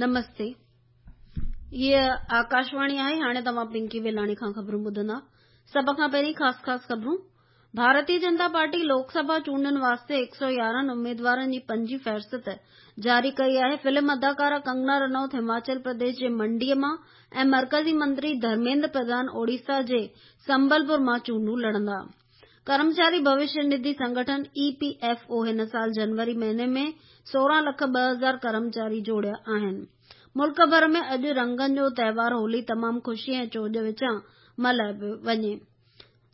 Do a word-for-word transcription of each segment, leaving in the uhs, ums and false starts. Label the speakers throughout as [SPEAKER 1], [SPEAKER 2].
[SPEAKER 1] نمستي، هيء آڪاشواڻي آهي. هاڻي توهان پنڪي ويلاڻي کان خبرون ٻڌندا. سڀ کان پهرين خاص خاص خبرون. ڀارتيه جنتا پارٽي لوڪ سڀا چونڊن واسطي هڪ سؤ يارهن اميدوارن جي پنجين فهرست جاري ڪئي آهي. فلم اداڪارا ڪنگنا رنوت هماچل پرديش جي منڊيء مان ۽ مرڪزي منتري ڌرميندر پرڌان اوڙيسا جي سمبلپور مان چونڊون لڙندا. ڪرمچاري ڀوشيه نڌي سنگٺن اي پي ايف او هن سال جنوري مهيني ۾ سورهن لک ٻه هزار ڪرمچاري جوڙيا آهن. ملڪ ڀر ۾ اڄ رنگن جو تهوار هولي تمام خوشي ۽ چوڄ وچان ملهايو پيو وڃي.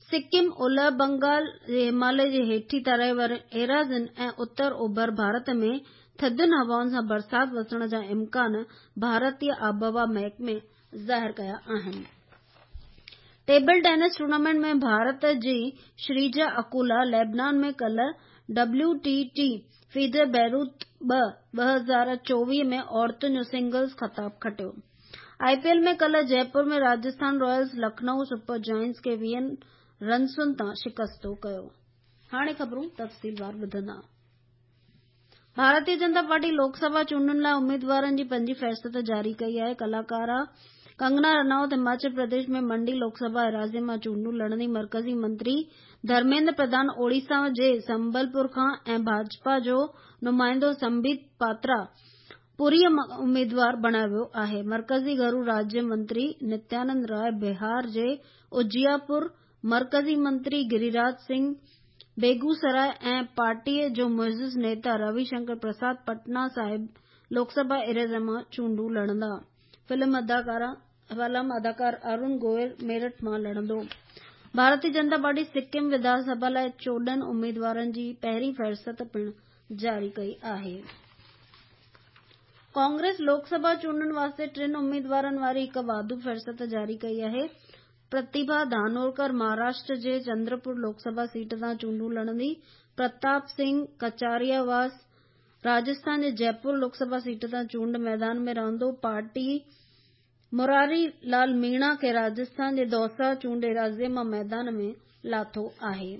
[SPEAKER 1] سڪم، اولهه بنگال جي هماليه جي هيٺين ترائي وارين ايراضين ۽ اتر اوڀر ڀارت ۾ ٿڌين هوائن سان برسات وسڻ جا امڪان ڀارتي آبهوا محڪمي ظاهر ڪيا آهن. ٽيبل ٽينس ٽورنامينٽ ۾ ڀارت جي شريجا اڪولا ليبنان ۾ ڪالهه ڊبليو ٽي ٽي فيڊر بيروت ٻه ٻه هزار چوويهه ۾ عورتن جو سنگلز خطاب کٽيو. آء پي ايل ۾ ڪالهه Jaipur ۾ Rajasthan Royals Lucknow Super Giants کي ويهن رنسن تان شڪستو ڪيو. هاڻي خبرون تفصيلوار ٻڌندا. ڀارتيه جنتا پارٽي لوڪ سڀا چونڊن لاء اميدوارن جي پنجين فهرست جاري ڪئي آهي. ڪلاڪارا ڪنگنا رناوت هماچل پرديش ۾ منڊي لوڪ سڀا ايراضيء مان چونڊون لڙندي. مرڪزي منتري ڌرميندر پرڌان اوڙيسا جي سمبلپور کان ۽ ڀاجپا جو نمائندو سمبيت پاترا پوريء مان اميدوار بڻايو ويو آهي. مرڪزي گهرو راجيه منتري نتيانند راءِ بهار جي اجياپور، مرڪزي منتري گريراج سنگهه بيگوسراءِ ۽ پارٽيء جو معزز نيتا روي شنڪر پرساد پٽنا صاحب لوڪ سڀا ايراضيء مان چونڊون لڙندا. فلم اداڪار ارون گوئل ميرٺ مان لڙندو. ڀارتيه جنتا پارٽي سڪم وڌان سڀا لاء چوڏهن اميدوارن جي پهرين فهرست پڻ جاري ڪئي آهي. ڪانگريس لوڪ سڀا چونڊن واسطي ٽن اميدوارن واري هڪ واڌو فهرست جاري ڪئي آهي. پرتيڀا ڌانورڪر مهاراشٽر جي چندرپور لوڪ سڀا سيٽ تان چونڊون لڙندي. پرتاپ سنگهه ڪچارياواس راجسٿان جي جئپور لوڪ سڀا سيٽ تان چونڊ ميدان ۾ رهندو. پارٽي مراري لال ميڻا کي راجسٿان جي دوسا چونڊ ايراضيء مان ميدان ۾ لاٿو آهي.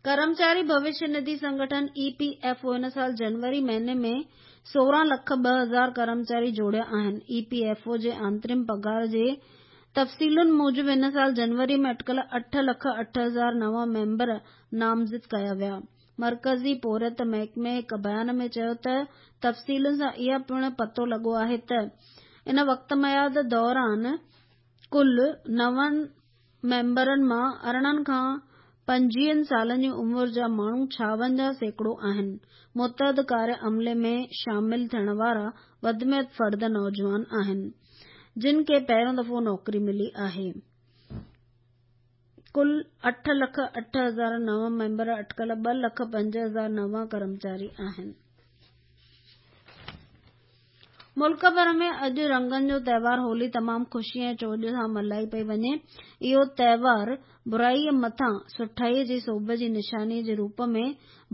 [SPEAKER 1] ڪرمچاري ڀوشيه نڌي سنگٺن اي پي ايف او هن سال جنوري مهيني ۾ سورهن لک ٻه هزار ڪرمچاري جوڙيا آهن. اي پي ايف او جي آنترم پگهار جي تفصيلن موجب هن سال جنوري ۾ اٽڪل اٺ لک اٺ هزار نوان ميمبر نامزد ڪيا ويا. مرڪزي پورهيت محڪمي هڪ بيان ۾ چيو ته تفصيلن سان اها پڻ پتو لڳو آهي ته ان وقت ميعاد دوران ڪل نون ميمبرن مان ارڙهن کان پنجويهن سالن جي عمر جا ماڻهو ڇاونجاهه سيڪڙو آهن. متحد ڪاريه عملي ۾ شامل ٿيڻ وارا وڌ ۾ وڌ فرد نوجوان آهن، جن کي پهريون دفعو نوڪري ملي آهي. ڪل اٺ لک اٺ هزار نوان ميمبر اٽڪل ٻه لک پنج هزار نوان ڪرمچاري آهن. ملڪ ڀر ۾ اڄ رنگن جو تهوار هولي تمام خوشي ۽ چوڄ سان ملهائي پئي وڃي. اهو تهوار برائيء مٿان سٺائيء جي سوڀ جي نشانيء جي روپ ۾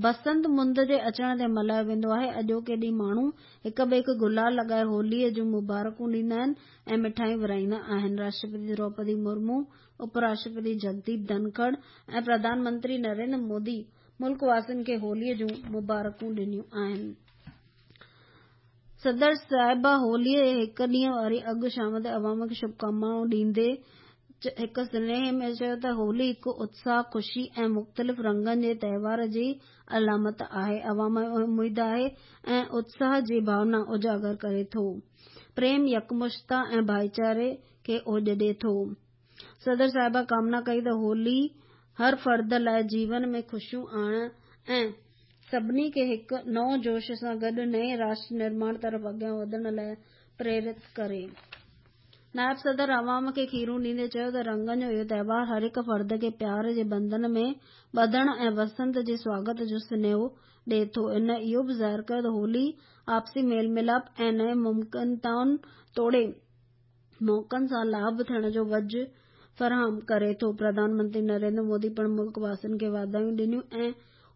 [SPEAKER 1] بسنت مند جي اچڻ تي ملهايو ويندو آهي. اڄوڪي ڏينهن ماڻهو هڪ ٻئي کي گلال لڳائي هوليء جون مبارڪون ڏيندا آهن ۽ مٺايون ورهائيندا آهن. راشٽرپتي دروپدي مرمو، اپ راشٽرپتي جگديپ ڌنکڙ ۽ پرڌان منتري نريندر مودي ملڪ واسين کي هوليء جون مبارڪون ڏنيون آهن. صدر صاحبه هوليء جي هڪ ڏينهن واري اڳ شام تي عوام کي شڀڪامنائون ڏيندي هڪ سنيهي ۾ چيو ته هولي هڪ اتساهه، خوشي ۽ مختلف رنگن جي تهوار جي علامت آهي. عوام ۾ اميد آهي ۽ اتساهه جي ڀاونا اجاگر ڪري ٿو. پريم، يڪمشتا ۽ ڀائيچاري کي اوڄ ڏئي ٿو. صدر صاحبه ڪامنا ڪئي ته هولي هر فرد لاء جيون ۾ خوشيون آڻڻ ۽ سڀني کي هڪ نئون جوش سان گڏ نئين راشٽر نرماڻ طرف اڳيان وڌڻ لاء پريرت ڪري. نائب صدر عوام کي کيرون ڏيندي چيو ته رنگن جو اهو تهوار هر هڪ فرد کي پيار جي بنڌن ۾ ٻڌڻ ۽ وسنت جي سواگت جو سنيهو ڏئي ٿو. هن اهو به ظاهر ڪيو ته هولي آپسي ميل ميلاپ ۽ نئين ممڪنتائن توڙي موقعن سان لاڀ ٿيڻ جو وجهه فراهم ڪري ٿو. پرڌان منتري نريندر مودي پڻ ملڪ واسين کي واڌايون ڏنيون ۽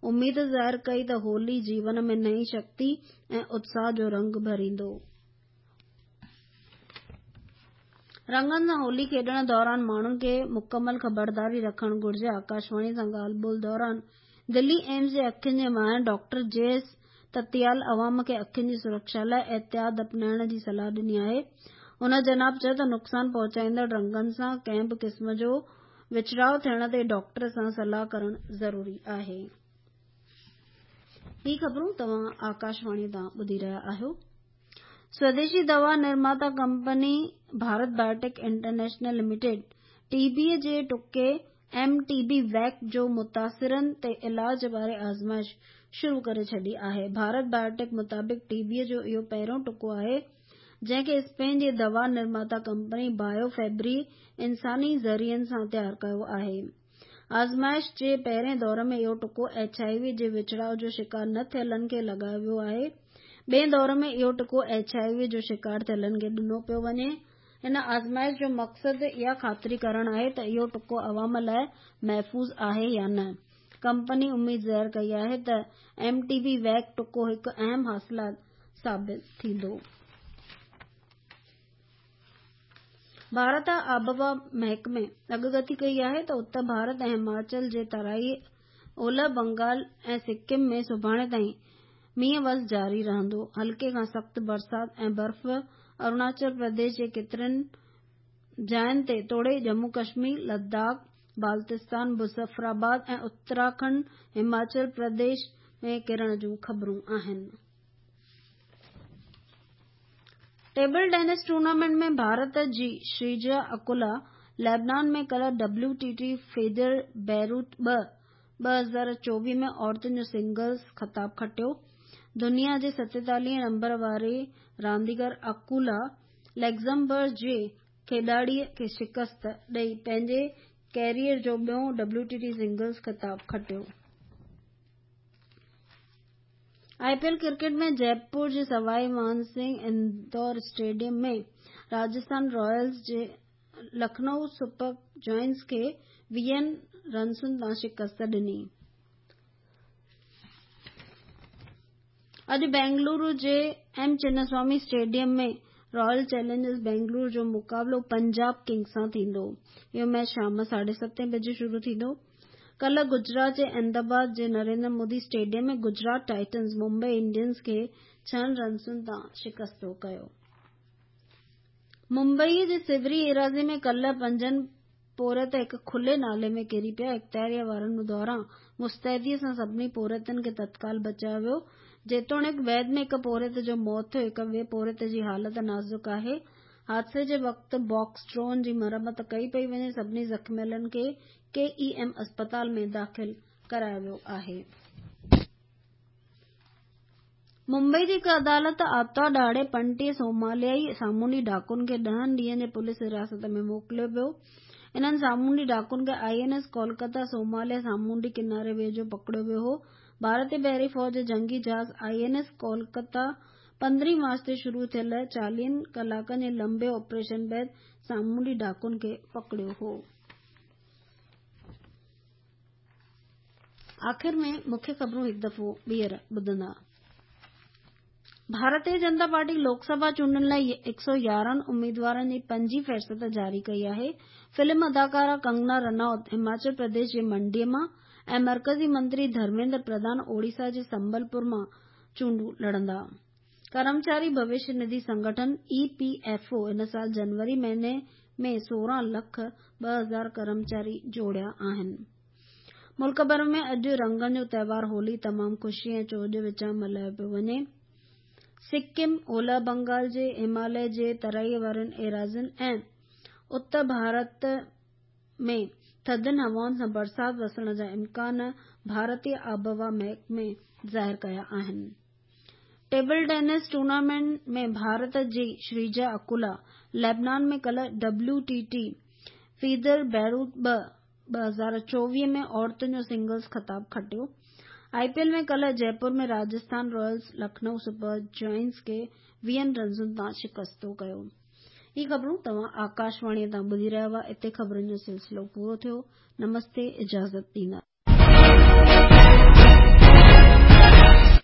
[SPEAKER 1] اميد ظاهر ڪئي ته هولي جيون ۾ نئين شڪتي ۽ اتساهه جو رنگ ڀريندو. رنگن سان هولي کيڏڻ دوران ماڻهن کي مڪمل خبرداري رکڻ گهرجي. آڪاشواڻي سان ڳالهه ٻولهه دوران دلي ايمس جي اکين جي ماهر ڊاڪٽر جي ايس تتيال عوام کي اکين جي سرڪشا لاءِ احتياط اپنائڻ جي صلاح ڏني آهي. هن جناب چيو ته نقصان پهچائيندڙ رنگن سان ڪنهن به قسم جو وچڙاءُ ٿيڻ تي ڊاڪٽر سان صلاح ڪرڻ ضروري آهي. هي خبرون توهان آڪاشواڻي تان ٻڌي رهيا آهيو. سوديشي دوا نرماتا company Bharat Biotech International Limited T B جي ٽڪي ايم ٽي بي ويڪ جو متاثرن تي علاج واري آزمائش شروع ڪري ڇڏي آهي. ڀارت بايوٽيڪ مطابق ٽي بي جو اهو پهريون ٽڪو آهي جنهن کي اسپين جي دوا نرماتا ڪمپني بايو فيبري انساني ذريعن سان تيار ڪيو آهي. آزمائش جي پهرين دور ۾ اهو ٽڪو ايڇ I V جي وچڙاءُ جو شڪار نه ٿيلن کي لڳايو ويو آهي. ٻئي دور ۾ اهو ٽڪو ايڇ I V جو شڪار ٿيلن کي ڏنو پيو وڃي. هن آزمائش جو مقصد اها خاطري ڪرڻ آهي ته اهو ٽڪو عوام لاءِ محفوظ آهي يا نه. ڪمپني اميد ظاهر ڪئي آهي ته ايم ٽي بي ويڪ ٽڪو هڪ اهم حاصلات ثابت ٿيندو. ڀارت آبهوا محڪمي اڳڪٿي ڪئي آهي ته اتر ڀارت ۽ هماچل جي ترائي، اولهه بنگال ۽ سڪم ۾ سڀاڻي تائين مينهن وس جاري رهندو. هلڪي کان سخت برسات ۽ برف اروناچل پرديش جي ڪيترن جاين تي توڙي ڄمون ڪشمير، لداخ، بالتستان، مظفرآباد ۽ اتراکنڊ، هماچل پرديش ۾ ڪرڻ جون خبرون آهن. ٽيبل ٽينس ٽورنامينٽ ۾ ڀارت جي شريجا اڪولا ليبنان ۾ ڪالهه ڊبليو ٽي ٽي فيدر بيروت ٻه ٻه هزار چوويهه ۾ عورتن جو سنگلز خطاب کٽيو. دنيا جي ستيتاليهه نمبر واري رانديگر اڪولا لگزمبرگ جي کيڏاڙيءَ کي شڪست ڏئي پنهنجي ڪيريئر جو ٻيون ڊبليو ٽي ٽي سنگلز خطاب کٽيو. I P L cricket ۾ Jaipur جي سوائي مان سنگهه اندور اسٽيڊيم ۾ راجسٿان رائلز جي لکنؤ سپر جائنٽس کي ويهن رنسن تان شڪست ڏني. اڄ بينگلورو جي M Chinnaswamy stadium ۾ Royal Challengers Bengaluru جو مقابلو پنجاب ڪنگز سان ٿيندو. اهو ميچ شام ساڍي ستين بجي شروع ٿيندو. ڪالهه گجرات جي احمدآباد جي Narendra Modi stadium ۾ Gujarat Titans Mumbai Indians کي ڇهن رنسن تان شڪستو ڪيو. ممبئي جي سوري ايراضي ۾ ڪالهه پنجن پورهيت هڪ کلي نالي ۾ ڪري پيا. اختياري وارن دوران مستعدي سان سڀني پورهيتن کي تتڪال بچايو ويو. جيتوڻيڪ بعد ۾ هڪ پورهيت جو موت ٿيو، هڪ ٻئي پورهيت جي حالت نازڪ آهي. حادثي جي وقت باڪس ڊرون جي مرمت ڪئي پئي وڃي. سڀني زخميلن کي ڪي اي ايم اسپتال ۾ داخل ڪرايو ويو آهي. ممبئي جي هڪ عدالت آرتوار ڏهاڙي پنٽيهه سوماليائي سامونڊي ڊاڪن کي ڏهن ڏينهن جي پوليس حراست ۾ موڪليو ويو. انهن سامونڊي ڊاڪن کي I N S Kolkata Somalia سامونڊي ڪناري ويجهو پڪڙيو ويو هو. ڀارتي بحري فوج جي جنگي جهاز I N S Kolkata پندرهين مارچ تي شروع ٿيل چاليهن ڪلاڪن جي لمبي آپريشن بعد سامونڊي ڊاڪن کي پڪڙيو هو. آخر ۾ مکيه خبرون هڪ دفعو ٻيهر ٻڌندا. ڀارتيه جنتا پارٽي لوڪ سڀا چونڊن لاءِ هڪ سؤ يارهن اميدوارن جي پنجين فهرست جاري ڪئي آهي. فلم اداڪارا ڪنگنا رناوت هماچل پرديش جي منڊي مان ۽ مرڪزي منتري ڌرميندر پرڌان اوڙيسا جي سمبلپور مان چونڊون لڙندا. ڪرمچاري ڀوشيه نڌي سنگٺن اي پي ايف او هن سال جنوري مهيني ۾ سورهن لک ٻه هزار ڪرمچاري جوڙيا آهن. ملڪ ڀر ۾ اڄ رنگن جو تهوار هولي تمام خوشي ۽ چوڄ وچان ملهايو پيو وڃي. سڪم، اولهه بنگال جي هماليه جي ترائي وارين ايراضين ۽ اتر ڀارت ۾ ٿڌين هوائن سان برسات وسڻ جا امڪان ڀارتيه آبهوا محڪمي ظاهر ڪيا آهن. ٽيبل ٽينس ٽورنامينٽ ۾ ڀارت جي شريجا اڪولا ليبنان ۾ ڪالهه ڊبليو ٽي ٽي فيدر بيروت ٻه ٻه هزار چوويهه ۾ عورتن جو سنگلز خطاب کٽيو. I P L ۾ ڪالهه Jaipur ۾ Rajasthan Royals Lucknow Super Giants کي ويهن رنسن تان شڪستو ڪيو. هي خبرون توهان آڪاشواڻي تان ٻڌي رهيا هئا. اتي خبرن جو سلسلو پورو ٿيو. نمستي، اجازت ڏيندا.